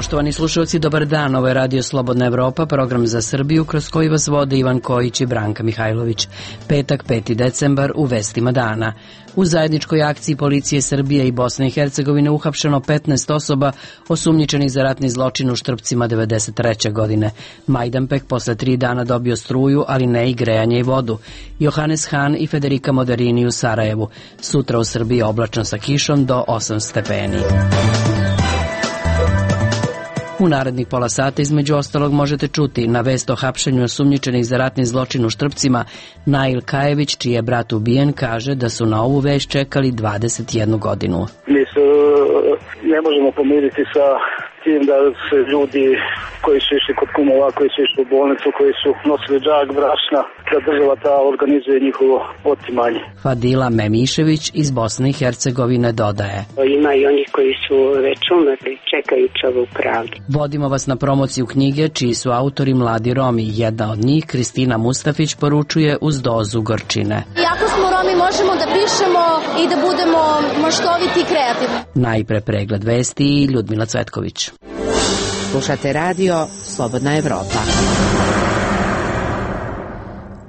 Poštovani slušalci, dobar dan. Ovo je Radio Slobodna Evropa, program za Srbiju kroz koji vas vode Ivan Kojić i Branka Mihajlović. Petak, 5. decembar, u vestima dana. U zajedničkoj akciji policije Srbije i Bosne i Hercegovine uhapšeno 15 osoba osumnjičenih za ratni zločin u Štrpcima 1993. godine. Majdanpek posle 3 dana dobio struju, ali ne i grejanje i vodu. Johannes Hahn i Federica Moderini u Sarajevu. Sutra u Srbiji oblačno sa kišom do 8 stepeni. U narednih pola sata između ostalog možete čuti na vest o hapšenju osumnjičenih za ratni zločin u Štrpcima. Nail Kajević, čiji je brat ubijen, kaže da su na ovu vest čekali 21 godinu. Mi se ne možemo pomiriti sa tim da se ljudi koji su išli kod kumova, koji su išli u bolnicu, koji su nosili džak brašna, da država ta organizuje njihovo otimanje. Fadila Memišević iz Bosne i Hercegovine dodaje: Ima i oni koji su već umrli, čekajući ovu pravdu. Vodimo vas na promociju knjige čiji su autori mladi Romi. Jedna od njih, Kristina Mustafić, poručuje uz dozu gorčine. Iako smo Romi, možemo da pišemo i da budemo maštoviti i kreativni. Najpre pregled vesti i Ljudmila Cvetković. Slušate radio Slobodna Evropa.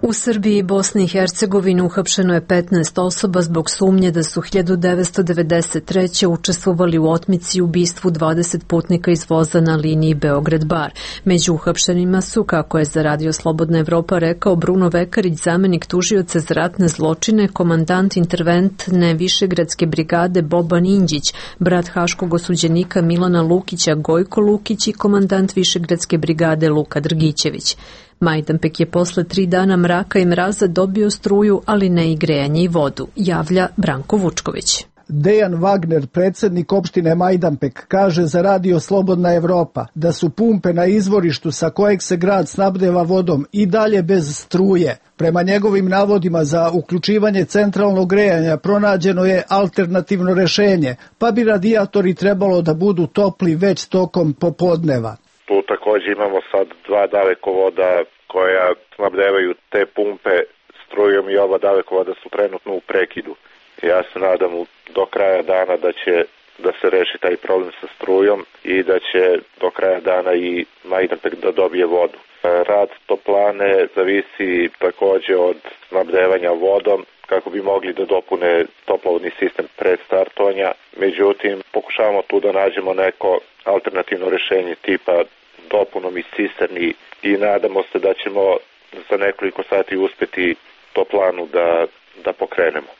U Srbiji i Bosni i Hercegovini uhapšeno je 15 osoba zbog sumnje da su 1993. učestvovali u otmici i ubistvu 20 putnika iz voza na liniji Beograd-Bar. Među uhapšenima su, kako je za Radio Slobodna Evropa rekao Bruno Vekarić, zamenik tužioca za ratne zločine, komandant interventne Višegradske brigade Boban Inđić, brat haškog osuđenika Milana Lukića Gojko Lukić i komandant Višegradske brigade Luka Drgićević. Majdanpek je posle 3 dana mraka i mraza dobio struju, ali ne i grejanje i vodu, javlja Branko Vučković. Dejan Wagner, predsjednik opštine Majdanpek, kaže za Radio Slobodna Evropa da su pumpe na izvorištu sa kojeg se grad snabdeva vodom i dalje bez struje. Prema njegovim navodima za uključivanje centralnog grejanja pronađeno je alternativno rešenje, pa bi radijatori trebalo da budu topli već tokom popodneva. Tu također imamo sad 2 dalekovoda koja snabdevaju te pumpe strujom i oba dalekovoda su trenutno u prekidu. Ja se nadam do kraja dana da se reši taj problem sa strujom i da će do kraja dana i Majdanpek da dobije vodu. Rad toplane zavisi također od snabdevanja vodom kako bi mogli da dopune toplovodni sistem pred startovanja. Međutim, pokušavamo tu da nađemo neko alternativno rešenje tipa dopunom iz cisterni i nadamo se da ćemo za nekoliko sati uspeti toplanu da pokrenemo.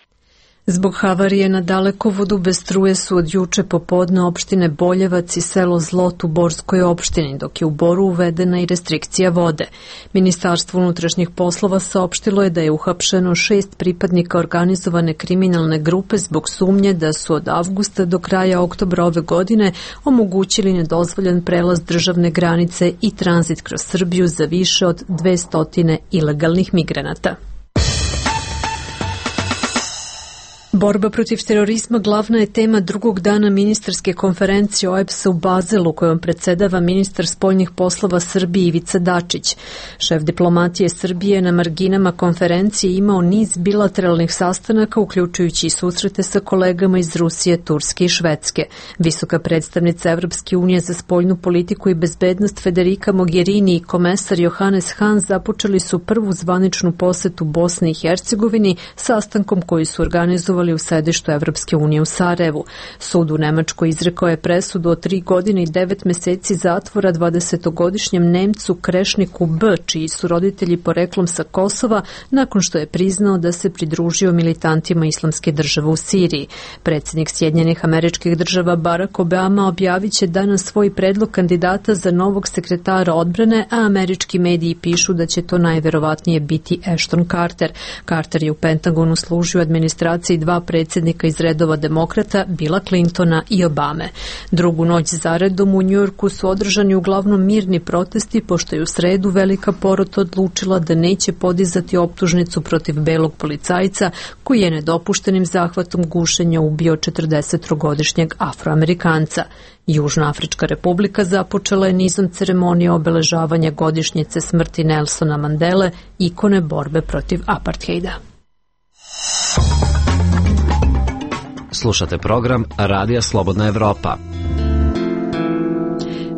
Zbog havarije na dalekovodu bez struje su od juče popodne opštine Boljevac i selo Zlot u Borskoj opštini, dok je u Boru uvedena i restrikcija vode. Ministarstvo unutrašnjih poslova saopštilo je da je uhapšeno 6 pripadnika organizovane kriminalne grupe zbog sumnje da su od avgusta do kraja oktobra ove godine omogućili nedozvoljen prelaz državne granice i tranzit kroz Srbiju za više od 200 ilegalnih migranata. Borba protiv terorizma glavna je tema drugog dana ministarske konferencije OEBS-a u Bazelu, kojom predsjedava ministar spoljnih poslova Srbije Ivica Dačić. Šef diplomatije Srbije na marginama konferencije imao niz bilateralnih sastanaka, uključujući i susrete sa kolegama iz Rusije, Turske i Švedske. Visoka predstavnica Evropske unije za spoljnu politiku i bezbednost Federica Mogherini i komesar Johannes Hahn započeli su prvu zvaničnu posetu Bosni i Hercegovini sastankom koji su organizovali u sedištu Evropske unije u Sarajevu. Sud u Nemačkoj izrekao je presudu od 3 godine i 9 meseci zatvora 20-godišnjem Nemcu Krešniku B, čiji su roditelji poreklom sa Kosova, nakon što je priznao da se pridružio militantima Islamske države u Siriji. Predsjednik Sjedinjenih Američkih Država Barack Obama objavit će danas svoj predlog kandidata za novog sekretara odbrane, a američki mediji pišu da će to najverovatnije biti Ashton Carter. Carter je u Pentagonu služio administraciji 2 predsjednika iz redova demokrata, Billa Clintona i Obame. Drugu noć zaredom u Njujorku su održani uglavnom mirni protesti, pošto je u sredu velika porota odlučila da neće podizati optužnicu protiv belog policajca koji je nedopuštenim zahvatom gušenja ubio 40-godišnjeg Afroamerikanca. Južnoafrička republika započela je nizom ceremonija obeležavanja godišnjice smrti Nelsona Mandele, ikone borbe protiv apartheida. Slušate program Radija Slobodna Evropa.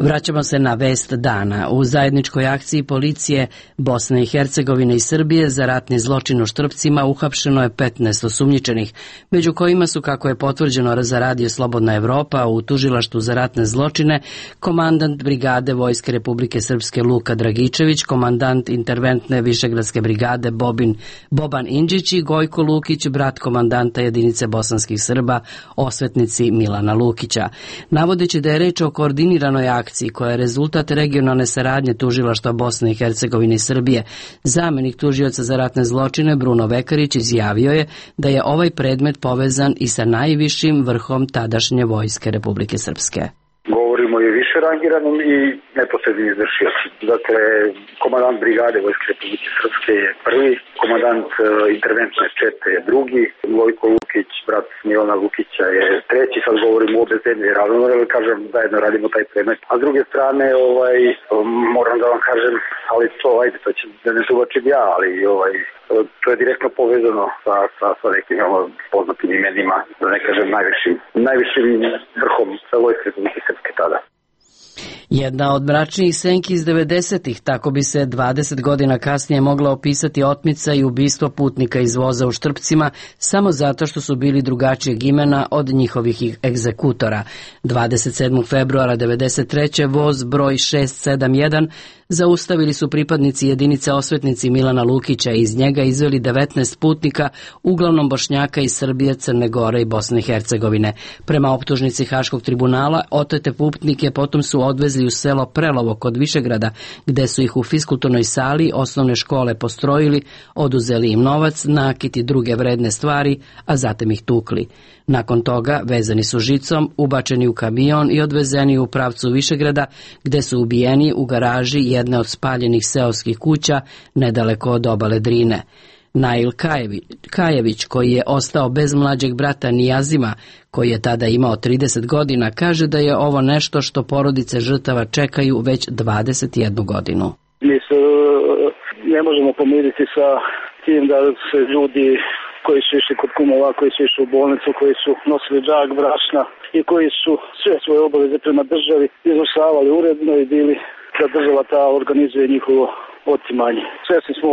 Vraćamo se na vest dana. U zajedničkoj akciji policije Bosne i Hercegovine i Srbije za ratni zločin u Štrpcima uhapšeno je 15 osumnjičenih, među kojima su, kako je potvrđeno za radio Slobodna Evropa, u tužilaštvu za ratne zločine komandant brigade Vojske Republike Srpske Luka Dragičević, komandant interventne Višegradske brigade Boban Indžić i Gojko Lukić, brat komandanta jedinice bosanskih Srba, osvetnici Milana Lukića. Navodeći da je reč o koordiniranoj akciji koja je rezultat regionalne saradnje tužilaštva Bosne i Hercegovine i Srbije, zamenik tužioca za ratne zločine Bruno Vekarić izjavio je da je ovaj predmet povezan i sa najvišim vrhom tadašnje Vojske Republike Srpske. Govorimo i više rangiranom i neposrednim izvršioci. Dakle, komandant brigade Vojske Republike Srpske je prvi, komandant interventne čete je drugi, Gojko Lukić, brat Milana Lukića je treći, sad govorimo o bezbednoj ravno, kažem, zajedno radimo taj predmet. A s druge strane, moram da vam kažem, ali to će da ne tumačim ja, ali to je direktno povezano sa nekim poznatim imenima, da ne kažem najvišim vrhom sa Vojske Republike Srpske tada. Jedna od mračnijih senki iz 90-ih, tako bi se 20 godina kasnije mogla opisati otmica i ubistvo putnika iz voza u Štrpcima samo zato što su bili drugačijeg imena od njihovih egzekutora. 27. februara 1993. voz broj 671 zaustavili su pripadnici jedinice osvetnici Milana Lukića i iz njega izveli 19 putnika, uglavnom Bošnjaka iz Srbije, Crne Gore i Bosne i Hercegovine. Prema optužnici Haškog tribunala, otete putnike potom su odvezli u selo Prelovo kod Višegrada, gde su ih u fiskulturnoj sali osnovne škole postrojili, oduzeli im novac, nakit i druge vredne stvari, a zatim ih tukli. Nakon toga vezani su žicom, ubačeni u kamion i odvezeni u pravcu Višegrada, gde su ubijeni u garaži jedne od spaljenih seoskih kuća nedaleko od obale Drine. Nail Kajević, koji je ostao bez mlađeg brata Nijazima, koji je tada imao 30 godina, kaže da je ovo nešto što porodice žrtava čekaju već 21 godinu. Mi se ne možemo pomiriti sa tim da se ljudi koji su išli kod kumova, koji su išli u bolnicu, koji su nosili džak brašna i koji su sve svoje obaveze prema državi izvršavali uredno i bili da država ta organizuje njihovo otimanje. Svesni smo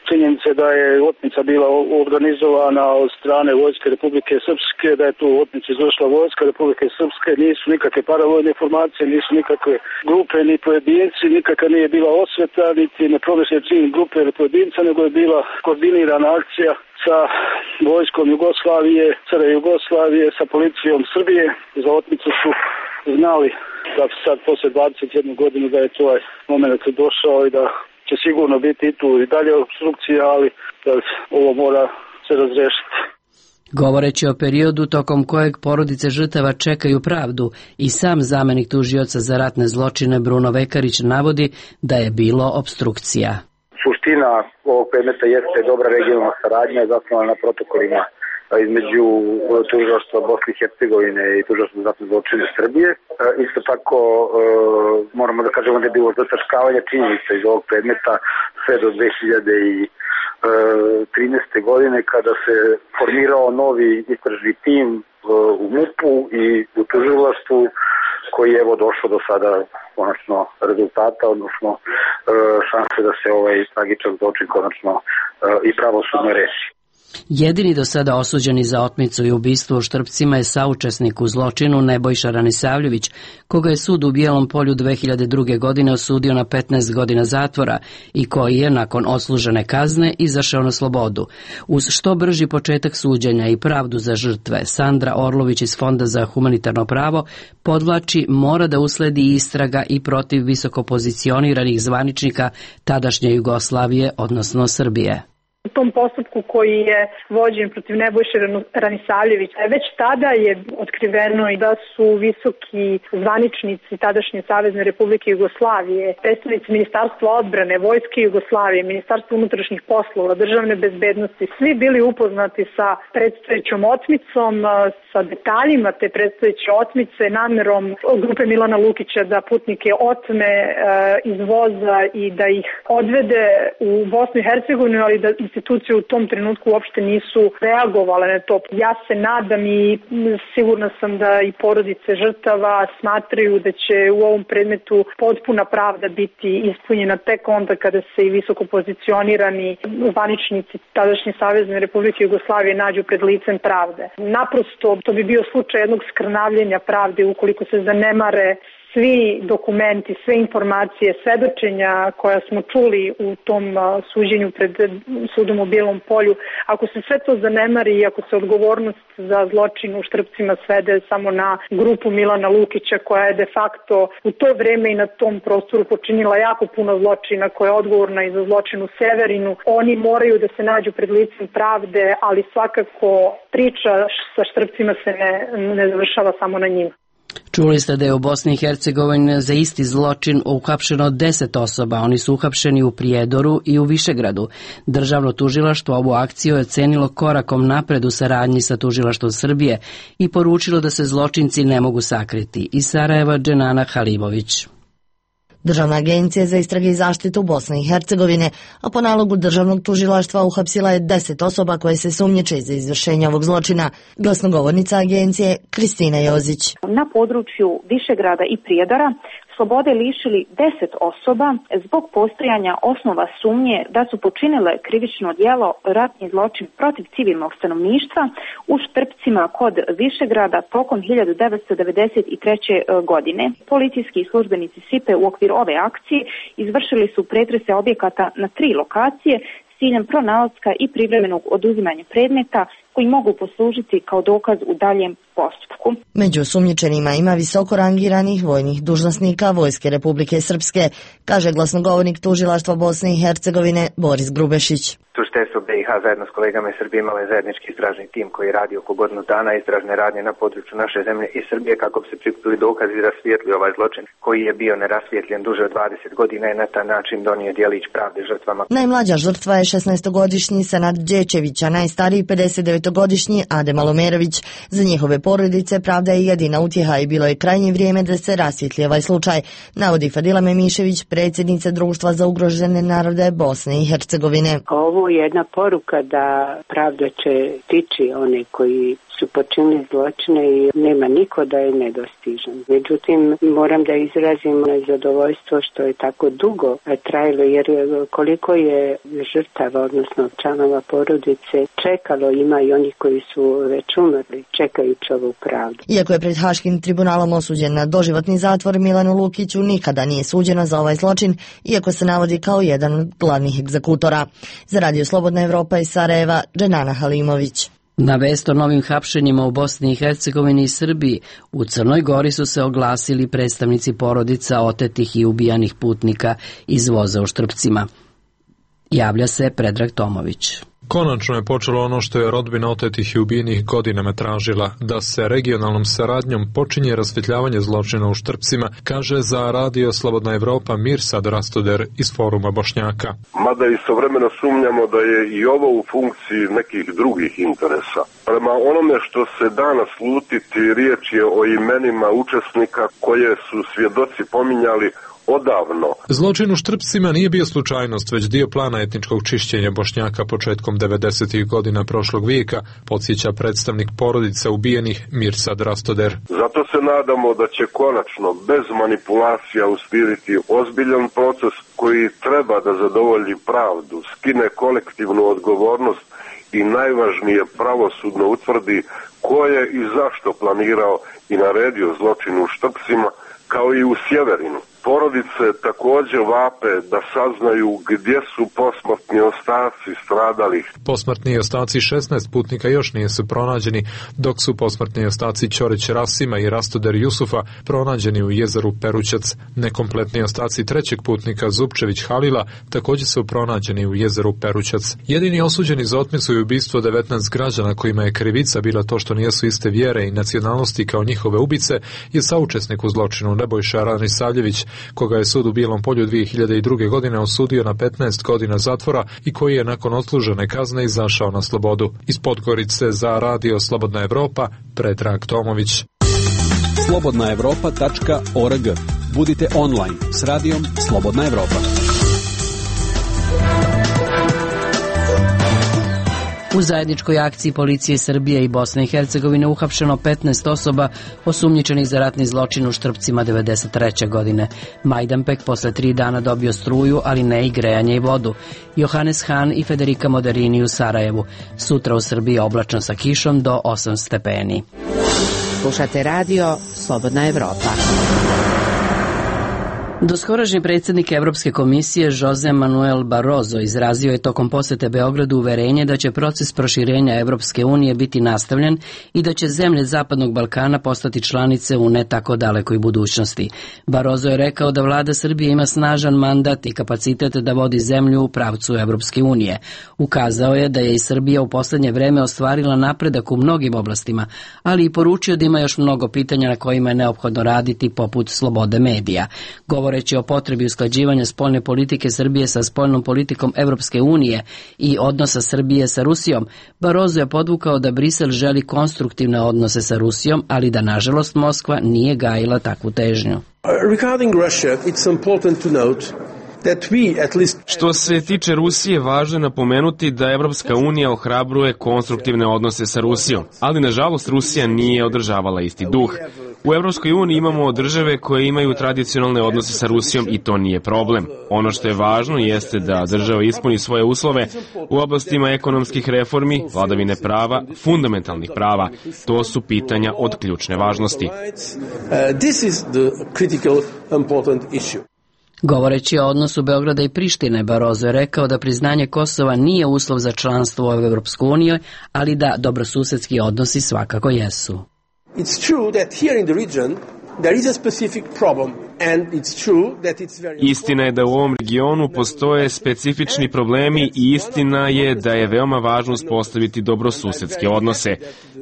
činjenice da je otmica bila organizovana od strane Vojske Republike Srpske, da je tu otmicu izvršila Vojska Republike Srpske, nisu nikakve paravojne formacije, nisu nikakve grupe ni pojedinci, nikakva nije bila osveta, niti nepromišljen cilj grupe ili pojedinca, nego je bila koordinirana akcija sa vojskom Jugoslavije, SR Jugoslavije, sa policijom Srbije. Za otmicu su znali da sad posle 21 godinu da je to moment došao i da će sigurno biti i tu i dalje obstrukcija, ali ovo mora se razrešiti. Govoreći o periodu tokom kojeg porodice žrtava čekaju pravdu, i sam zamenik tužioca za ratne zločine Bruno Vekarić navodi da je bilo obstrukcija. Suština ovog predmeta jeste dobra regionalna saradnja zasnovana na protokolima između tužilaštva Bosne i Hercegovine i tužilaštva za ratne zločine Srbije. Isto tako moramo da kažemo da je bilo zataškavanje činjenica iz ovog predmeta sve do 2013. godine kada se formirao novi istražni tim u MUP-u i u tužilaštvu koji je došao do sada konačno rezultata, odnosno šanse da se ovaj tragičan zločin konačno i pravosudno reši. Jedini do sada osuđeni za otmicu i ubistvo u Štrpcima je saučesnik u zločinu Nebojša Ranisavljević, koga je sud u Bijelom Polju 2002. godine osudio na 15 godina zatvora i koji je nakon odslužene kazne izašao na slobodu. Uz što brži početak suđenja i pravdu za žrtve, Sandra Orlović iz Fonda za humanitarno pravo podvlači mora da usledi istraga i protiv visoko pozicioniranih zvaničnika tadašnje Jugoslavije, odnosno Srbije. U tom postupku koji je vođen protiv Nebojše Ranisavljevića, već tada je otkriveno i da su visoki zvaničnici tadašnje Savezne Republike Jugoslavije, predstavnici Ministarstva odbrane, Vojske Jugoslavije, Ministarstva unutrašnjih poslova, državne bezbednosti, svi bili upoznati sa predstojećom otmicom, sa detaljima te predstojeće otmice, namerom grupe Milana Lukića da putnike otme iz voza i da ih odvede u Bosnu i Hercegovinu, ali da institucije u tom trenutku uopšte nisu reagovale na to. Ja se nadam i sigurna sam da i porodice žrtava smatraju da će u ovom predmetu potpuna pravda biti ispunjena tek onda kada se i visoko pozicionirani zvaničnici tadašnje Savezne Republike Jugoslavije nađu pred licem pravde. Naprosto to bi bio slučaj jednog skrnavljenja pravde ukoliko se zanemare svi dokumenti, sve informacije, svedočenja koja smo čuli u tom suđenju pred sudom u Bijelom Polju. Ako se sve to zanemari i ako se odgovornost za zločin u Štrpcima svede samo na grupu Milana Lukića koja je de facto u to vreme i na tom prostoru počinila jako puno zločina, koja je odgovorna i za zločin u Severinu, oni moraju da se nađu pred licem pravde, ali svakako priča sa Štrpcima se ne završava samo na njima. Čuli ste da je u Bosni i Hercegovini za isti zločin uhapšeno 10 osoba. Oni su uhapšeni u Prijedoru i u Višegradu. Državno tužilaštvo ovu akciju je ocenilo korakom napred u saradnji sa tužilaštvom Srbije i poručilo da se zločinci ne mogu sakriti. Iz Sarajeva, Dženana Halimović. Državna agencija za istrage i zaštitu Bosne i Hercegovine, a po nalogu državnog tužilaštva uhapsila je 10 osoba koje se sumnjiče za izvršenje ovog zločina. Glasnogovornica agencije Kristina Jozić. Na području Višegrada i Prijedora slobode lišili 10 osoba zbog postojanja osnova sumnje da su počinile krivično djelo ratni zločin protiv civilnog stanovništva u Štrpcima kod Višegrada tokom 1993. godine. Policijski službenici SIPE u okviru ove akcije izvršili su pretrese objekata na 3 lokacije s ciljem pronalaska i privremenog oduzimanja predmeta koji mogu poslužiti kao dokaz u daljem postupku. Među osumnjičenima ima visoko rangiranih vojnih dužnosnika Vojske Republike Srpske, kaže glasnogovornik tužilaštva Bosne i Hercegovine Boris Grubešić. Tužiteljstvo BiH zajedno s kolegama iz Srbije imalo je zajednički istražni tim koji radi oko godinu dana istražne radnje na području naše zemlje i Srbije kako bi se prikupili dokazi i rasvijetli ovaj zločin koji je bio nerasvijetljen duže od 20 godina i na taj način donio djelić pravde žrtvama. Najmlađa žrtva je 16-godišnji Senad Đečević, a najstariji 59-godišnji Ade Malomerović. Za njihove porodice pravda je jedina utjeha i bilo je krajnje vrijeme da se rasvijetli ovaj slučaj, navodi Fadila Memišević, predsjednica Društva za ugrožene narode Bosne i Hercegovine. Ovo je jedna poruka da pravda će stići one koji su počinili zločine i nema niko da je nedostižan. Međutim, moram da izrazim zadovoljstvo što je tako dugo trajalo, jer koliko je žrtava, odnosno članova porodice čekalo, ima i onih koji su već umrli čekajući ovu pravdu. Iako je pred Haškim tribunalom osuđen na doživotni zatvor, Milanu Lukiću nikada nije suđeno za ovaj zločin, iako se navodi kao jedan od glavnih egzekutora. Za Radio Slobodna Evropa iz Sarajeva, Dženana Halimović. Na vest o novim hapšenjima u Bosni i Hercegovini i Srbiji, u Crnoj Gori su se oglasili predstavnici porodica otetih i ubijanih putnika iz voza u Štrpcima. Javlja se Predrag Tomović. Konačno je počelo ono što je rodbina otetih i ubijenih godinama tražila, da se regionalnom saradnjom počinje rasvjetljavanje zločina u Štrpcima, kaže za Radio Slobodna Evropa Mirsad Rastoder iz Foruma Bošnjaka. Mada istovremeno sumnjamo da je i ovo u funkciji nekih drugih interesa. Prema onome što se danas slutiti, riječ je o imenima učesnika koje su svjedoci pominjali odavno. Zločin u Štrpcima nije bio slučajnost, već dio plana etničkog čišćenja Bošnjaka početkom 90. godina prošlog vijeka, podsjeća predstavnik porodice ubijenih Mirsad Rastoder. Zato se nadamo da će konačno, bez manipulacija, usmjeriti ozbiljan proces koji treba da zadovolji pravdu, skine kolektivnu odgovornost i najvažnije pravosudno utvrdi ko je i zašto planirao i naredio zločin u Štrpcima, kao i u Sjeverinu. Porodice također vape da saznaju gdje su posmrtni ostaci stradalih. Posmrtni ostaci 16 putnika još nisu pronađeni, dok su posmrtni ostaci Ćorić Rasima i Rastoder Jusufa pronađeni u jezeru Perućac. Nekompletni ostaci trećeg putnika Zupčević Halila također su pronađeni u jezeru Perućac. Jedini osuđeni za otmicu i ubistvo 19 građana kojima je krivica bila to što nijesu iste vjere i nacionalnosti kao njihove ubice je saučesnik u zločinu Nebojša Ranisavljević, koga je sud u Bijelom Polju 2002. godine osudio na 15 godina zatvora i koji je nakon odslužene kazne izašao na slobodu. Iz Podgorice za Radio Slobodna Evropa, Predrag Tomović. slobodnaevropa.org. Budite online s Radijom Slobodna Evropa. U zajedničkoj akciji policije Srbije i Bosne i Hercegovine uhapšeno 15 osoba osumnjičenih za ratni zločin u Štrpcima 1993. godine. Majdanpek posle 3 dana dobio struju, ali ne i grejanje i vodu. Johannes Hahn i Federica Moderini u Sarajevu. Sutra u Srbiji oblačno sa kišom do 8 stepeni. Slušate radio Slobodna Evropa. Doskorašnji predsjednik Evropske komisije Jose Manuel Barroso izrazio je tokom posete Beogradu uverenje da će proces proširenja Evropske unije biti nastavljen i da će zemlje Zapadnog Balkana postati članice u ne tako dalekoj budućnosti. Barroso je rekao da vlada Srbije ima snažan mandat i kapacitet da vodi zemlju u pravcu Evropske unije. Ukazao je da je i Srbija u posljednje vreme ostvarila napredak u mnogim oblastima, ali i poručio da ima još mnogo pitanja na kojima je neophodno raditi, poput slobode medija. Govoreći o potrebi usklađivanja spoljne politike Srbije sa spoljnom politikom Evropske unije i odnosa Srbije sa Rusijom, Barroso je podvukao da Brisel želi konstruktivne odnose sa Rusijom, ali da nažalost Moskva nije gajila takvu težnju. Regarding Russia, it's important to note Što se tiče Rusije, važno je napomenuti da Evropska unija ohrabruje konstruktivne odnose sa Rusijom, ali nažalost Rusija nije održavala isti duh. U Evropskoj uniji imamo države koje imaju tradicionalne odnose sa Rusijom i to nije problem. Ono što je važno jeste da država ispuni svoje uslove u oblastima ekonomskih reformi, vladavine prava, fundamentalnih prava. To su pitanja od ključne važnosti. Govoreći o odnosu Beograda i Prištine, Barroso je rekao da priznanje Kosova nije uslov za članstvo u Evropsku uniju, ali da dobrosusedski odnosi svakako jesu. Istina je da u ovom regionu postoje specifični problemi i istina je da je veoma važno uspostaviti dobrosusedske odnose.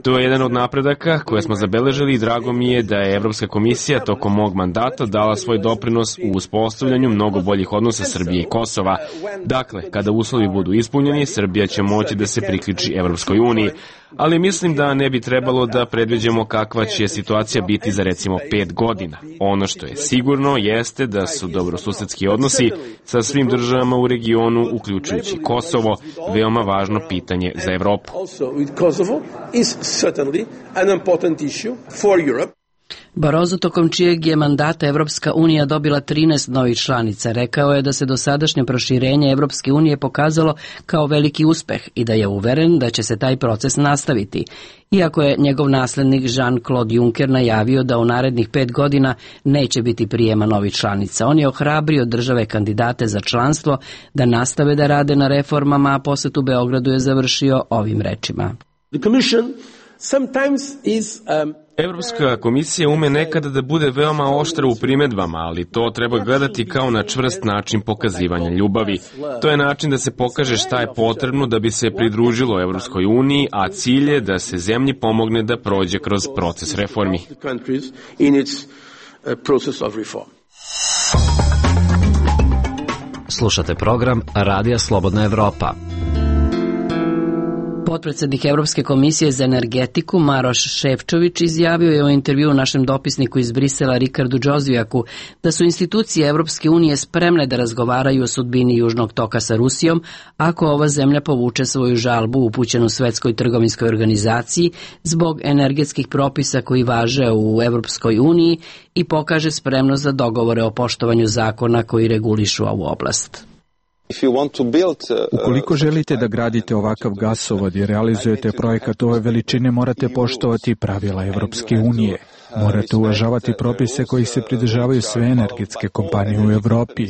To je jedan od napredaka koje smo zabeležili i drago mi je da je Evropska komisija tokom mog mandata dala svoj doprinos u uspostavljanju mnogo boljih odnosa Srbije i Kosova. Dakle, kada uslovi budu ispunjeni, Srbija će moći da se priključi Evropskoj uniji. Ali mislim da ne bi trebalo da predviđamo kakva će situacija biti za recimo 5 godina. Ono što je sigurno jeste da su dobrosusedski odnosi sa svim državama u regionu, uključujući Kosovo, veoma važno pitanje za Evropu. Barroso, tokom čijeg je mandata Evropska unija dobila 13 novih članica, rekao je da se dosadašnje proširenje Evropske unije pokazalo kao veliki uspeh i da je uveren da će se taj proces nastaviti. Iako je njegov naslednik Jean-Claude Juncker najavio da u narednih 5 godina neće biti prijema novih članica, on je ohrabrio države kandidate za članstvo da nastave da rade na reformama, a posjet u Beogradu je završio ovim rečima. Evropska komisija ume nekada da bude veoma oštra u primedbama, ali to treba gledati kao na čvrst način pokazivanja ljubavi. To je način da se pokaže šta je potrebno da bi se pridružilo Evropskoj uniji, a cilj je da se zemlji pomogne da prođe kroz proces reformi. Slušate program Radija Slobodna Evropa. Potpredsjednik Evropske komisije za energetiku Maroš Šefčović izjavio je u intervjuu našem dopisniku iz Brisela Rikardu Džozvijaku da su institucije Evropske unije spremne da razgovaraju o sudbini Južnog toka sa Rusijom ako ova zemlja povuče svoju žalbu upućenu Svetskoj trgovinskoj organizaciji zbog energetskih propisa koji važe u Evropskoj uniji i pokaže spremnost za dogovore o poštovanju zakona koji regulišu ovu oblast. Ukoliko želite da gradite ovakav gasovod i realizujete projekat ove veličine, morate poštovati pravila Evropske unije. Morate uvažavati propise koji se pridržavaju sve energetske kompanije u Evropi.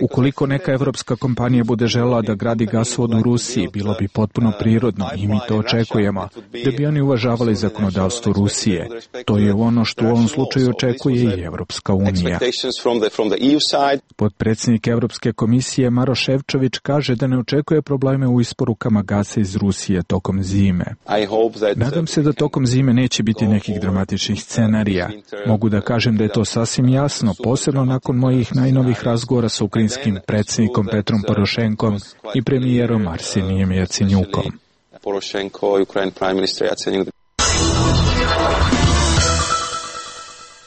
Ukoliko neka evropska kompanija bude želela da gradi gasovod u Rusiji, bilo bi potpuno prirodno i mi to očekujemo, da bi oni uvažavali zakonodavstvo Rusije. To je ono što u ovom slučaju očekuje i Evropska unija. Potpredsjednik Evropske komisije Maroš Šefčović kaže da ne očekuje probleme u isporukama gasa iz Rusije tokom zime. Nadam se da tokom zime neće biti nekih dramatičnih scenarija. Mogu da kažem da je to sasvim jasno, posebno nakon mojih najnovih razgovora sa ukrajinskim predsjednikom Petrom Porošenkom i premijerom Arsenijem Jacenjukom.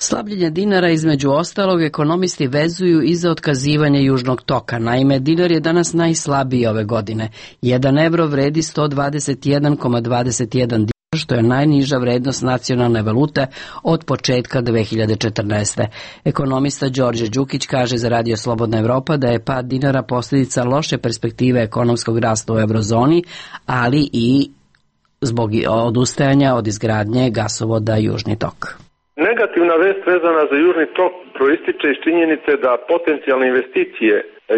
Slabljenje dinara između ostalog ekonomisti vezuju i za otkazivanje Južnog toka. Naime, dinar je danas najslabiji ove godine. 1 evro vredi 121,21 dinar, što je najniža vrednost nacionalne valute od početka 2014. Ekonomista Đorđe Đukić kaže za Radio Slobodna Evropa da je pad dinara posljedica loše perspektive ekonomskog rasta u eurozoni, ali i zbog odustajanja od izgradnje gasovoda Južni tok. Negativna vest vezana za Južni tok proističe iz činjenice da potencijalne investicije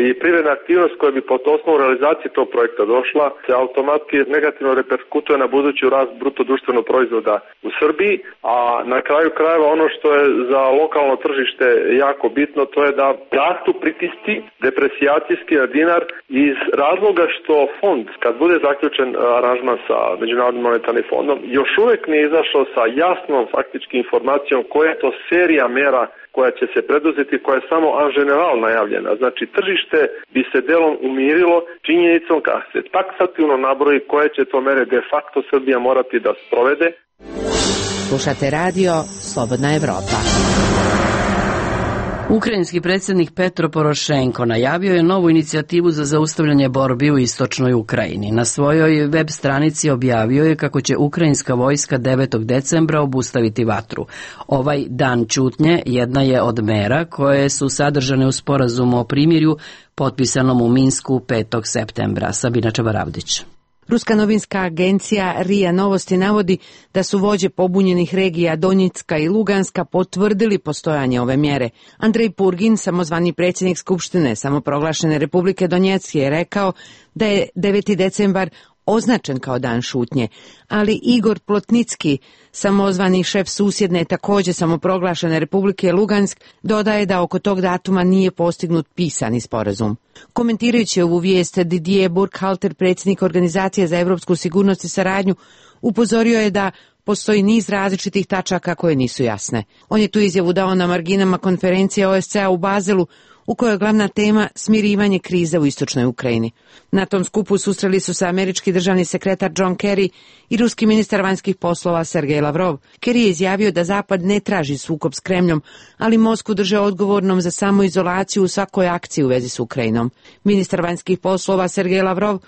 i privredna aktivnost koja bi po osnovu realizacije tog projekta došla se automatski negativno reperkutuje na budući rast bruto društvenog proizvoda u Srbiji, a na kraju krajeva ono što je za lokalno tržište jako bitno, to je da rastu pritisci depresijacijski na dinar iz razloga što fond, kad bude zaključen aranžman sa Međunarodnim monetarnim fondom, još uvijek nije izašao sa jasnom faktički informacijom koja je to serija mera koja će se preduzeti, koja je samo en general najavljena. Znači, tržište bi se delom umirilo činjenicom kad se taksativno nabroji koje će to mere de facto Srbija morati da sprovede. Slušate radio Slobodna Evropa. Ukrajinski predsjednik Petro Porošenko najavio je novu inicijativu za zaustavljanje borbi u istočnoj Ukrajini. Na svojoj web stranici objavio je kako će ukrajinska vojska 9. decembra obustaviti vatru. Ovaj dan ćutnje jedna je od mera koje su sadržane u sporazumu o primirju potpisanom u Minsku 5. septembra. Sabina Čabaravdić. Ruska novinska agencija RIA Novosti navodi da su vođe pobunjenih regija Donjicka i Luganska potvrdili postojanje ove mjere. Andrej Purgin, samozvani predsjednik Skupštine samoproglašene Republike Donjeck, je rekao da je 9. decembar označen kao dan šutnje, ali Igor Plotnicki, samozvani šef susjedne također samoproglašene Republike Lugansk, dodaje da oko tog datuma nije postignut pisani sporazum. Komentirajući ovu vijest, Didier Burkhalter, predsjednik Organizacije za europsku sigurnost i saradnju, upozorio je da postoji niz različitih tačaka koje nisu jasne. On je tu izjavu dao na marginama konferencije OSCE-a u Bazelu, u kojoj je glavna tema smirivanje krize u istočnoj Ukrajini. Na tom skupu susreli su se američki državni sekretar John Kerry i ruski ministar vanjskih poslova Sergej Lavrov. Kerry je izjavio da Zapad ne traži sukob s Kremljom, ali Moskvu drže odgovornom za samoizolaciju u svakoj akciji u vezi s Ukrajinom. Ministar vanjskih poslova Sergej Lavrov: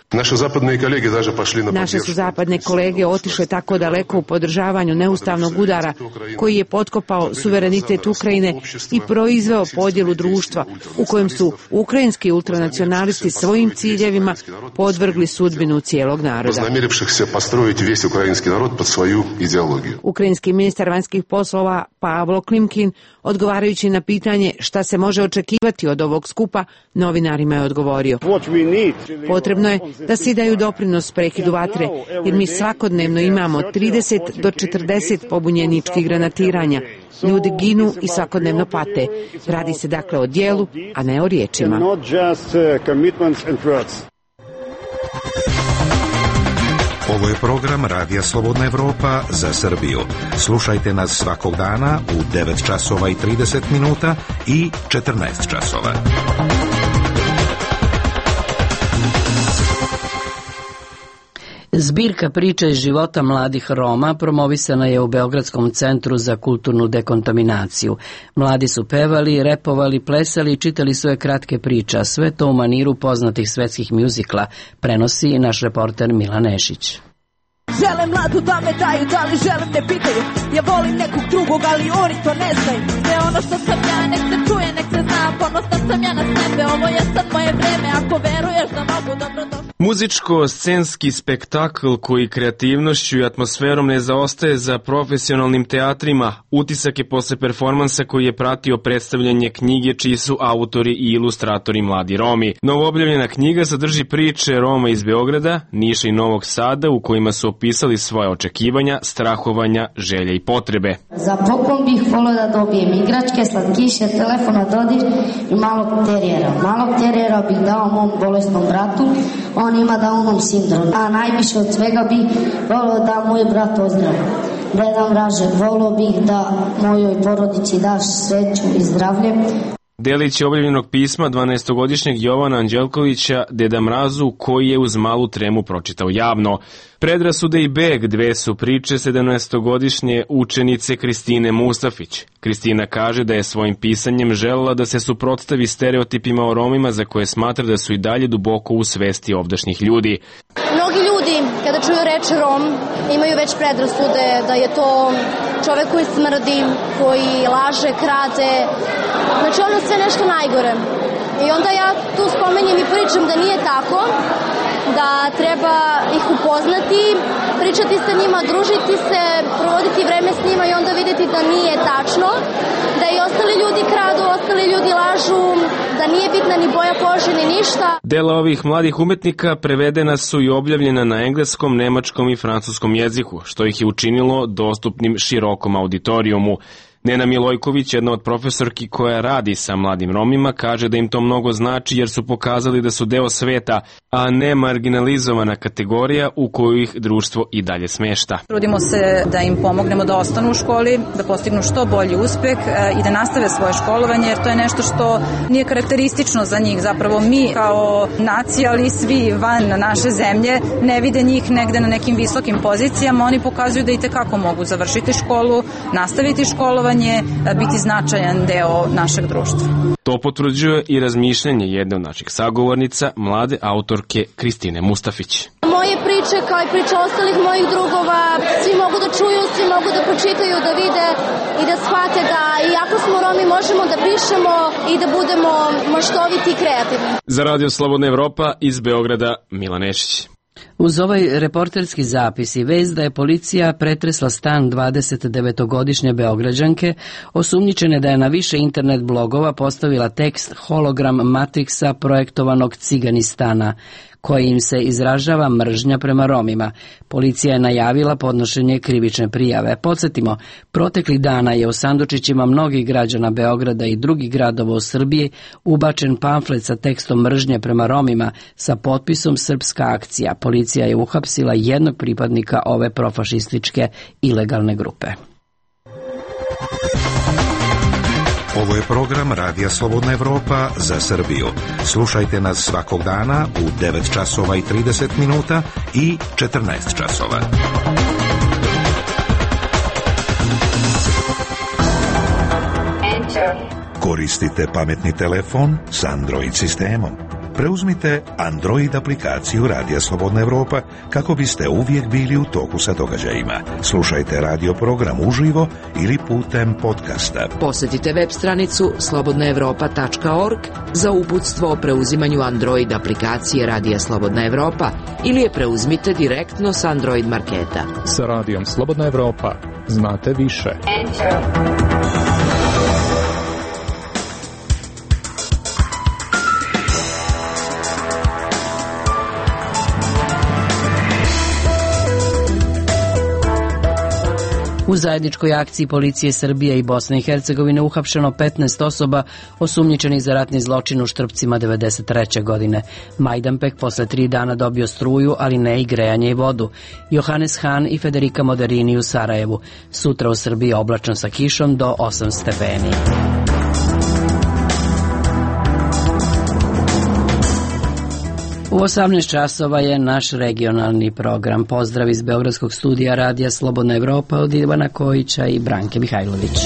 Naše su zapadne kolege otišle tako daleko u podržavanju neustavnog udara koji je potkopao suverenitet Ukrajine i proizveo podjelu društva u kojem su ukrajinski ultranacionalisti svojim ciljevima podvrgli sudbinu cijelog naroda. Ukrajinski ministar vanjskih poslova Pavlo Klimkin, odgovarajući na pitanje šta se može očekivati od ovog skupa, novinarima je odgovorio: Potrebno je da svi daju doprinos prekidu vatre, jer mi svakodnevno imamo 30 do 40 pobunjeničkih granatiranja. Ljudi ginu i svakodnevno pate. Radi se dakle o djelu, a ne o riječima. Ovo je program Radija Slobodna Evropa za Srbiju. Slušajte nas svakog dana u 9 časova i 30 minuta i 14 časova. Zbirka priča iz života mladih Roma promovisana je u Beogradskom centru za kulturnu dekontaminaciju. Mladi su pevali, repovali, plesali i čitali svoje kratke priče, sve to u maniru poznatih svetskih mjuzikla, prenosi naš reporter Milan Nešić. Žele mladu da me daju, da li želim ne pitaju. Ja volim nekog drugog, ali oni to ne znaju. Sve ono što sam ja, nek se čuje, nek se zna. Ponosna sam ja na sebe, ovo je sad moje vreme. Ako veruješ da mogu, dobro došli. Muzičko-scenski spektakl koji kreativnošću i atmosferom ne zaostaje za profesionalnim teatrima, utisak je posle performansa koji je pratio predstavljanje knjige čiji su autori i ilustratori mladi Romi. Novoobjavljena knjiga sadrži priče Roma iz Beograda, Niša i Novog Sada u kojima su opisali svoje očekivanja, strahovanja, želje i potrebe. Za poklon bih volio da dobijem igračke, slatkiše, telefona, dodir i malog terijera. Malog terijera bih dao mom bolesnom bratu, on ima Downom sindrom. A najviše od svega bih volio da moj brat ozdravi. Deda Mraže, volio bih da mojoj porodici daš sreću i zdravlje. Delić je objavljenog pisma 12-godišnjeg Jovana Anđelkovića Deda Mrazu, koji je uz malu tremu pročitao javno. Predrasude i beg, dve su priče 17-godišnje učenice Kristine Mustafić. Kristina kaže da je svojim pisanjem želela da se suprotstavi stereotipima o Romima za koje smatra da su i dalje duboko u svesti ovdašnjih ljudi. Mnogi ljudi, kada čuju reč Rom, imaju već predrasude da je to čovek koji smrdi, koji laže, krade, znači ono sve nešto najgore. I onda ja tu spomenjem i pričam da nije tako, da treba ih upoznati, pričati sa njima, družiti se, provoditi vreme s njima i onda videti da nije tačno, da i ostali ljudi kradu, ostali ljudi lažu, da nije bitna ni boja kože ni ništa. Dela ovih mladih umetnika prevedena su i objavljena na engleskom, nemačkom i francuskom jeziku, što ih je učinilo dostupnim širokom auditorijumu. Nena Milojković, jedna od profesorki koja radi sa mladim Romima, kaže da im to mnogo znači jer su pokazali da su deo sveta, a ne marginalizovana kategorija u koju ih društvo i dalje smešta. Trudimo se da im pomognemo da ostanu u školi, da postignu što bolji uspeh i da nastave svoje školovanje, jer to je nešto što nije karakteristično za njih. Zapravo mi kao nacija, ali svi van naše zemlje, ne vide njih negde na nekim visokim pozicijama. Oni pokazuju da i tekako mogu završiti školu, nastaviti školovanje, biti značajan deo našeg društva. To potvrđuje i razmišljanje jedne od naših sagovornica, mlade autorke Kristine Mustafić. Moje priče, kao i priče ostalih mojih drugova, svi mogu da čuju, svi mogu da pročitaju, da vide i da shvate da iako smo Romi možemo da pišemo i da budemo maštoviti i kreativni. Za Radio Slobodna Evropa iz Beograda, Milan Nešić. Uz ovaj reporterski zapis i vest da je policija pretresla stan 29-godišnje Beograđanke, osumnjičene da je na više internet blogova postavila tekst hologram Matrixa projektovanog Ciganistana, kojim se izražava mržnja prema Romima. Policija je najavila podnošenje krivične prijave. Podsjetimo, proteklih dana je u sandučićima mnogih građana Beograda i drugih gradova u Srbiji ubačen pamflet sa tekstom mržnje prema Romima sa potpisom Srpska akcija. Policija je uhapsila jednog pripadnika ove profašističke ilegalne grupe. Ovo je program Radija Slobodna Evropa za Srbiju. Slušajte nas svakog dana u 9 časova i 30 minuta i 14 časova. Koristite pametni telefon s Android sistemom. Preuzmite Android aplikaciju Radija Slobodna Evropa kako biste uvijek bili u toku sa događajima. Slušajte radio program uživo ili putem podcasta. Posjetite web stranicu slobodnaevropa.org za uputstvo o preuzimanju Android aplikacije Radija Slobodna Evropa ili je preuzmite direktno s Android marketa. Sa Radijom Slobodna Evropa znate više. U zajedničkoj akciji policije Srbije i Bosne i Hercegovine uhapšeno 15 osoba osumnjičenih za ratni zločin u Štrpcima 1993. godine. Majdanpek posle 3 dana dobio struju, ali ne i grejanje i vodu. Johannes Hahn i Federica Moderini u Sarajevu. Sutra u Srbiji oblačno sa kišom do 8 stepeni. U 18 časova je naš regionalni program. Pozdrav iz Beogradskog studija Radija Slobodna Evropa od Ivana Kojića i Branke Mihajlović.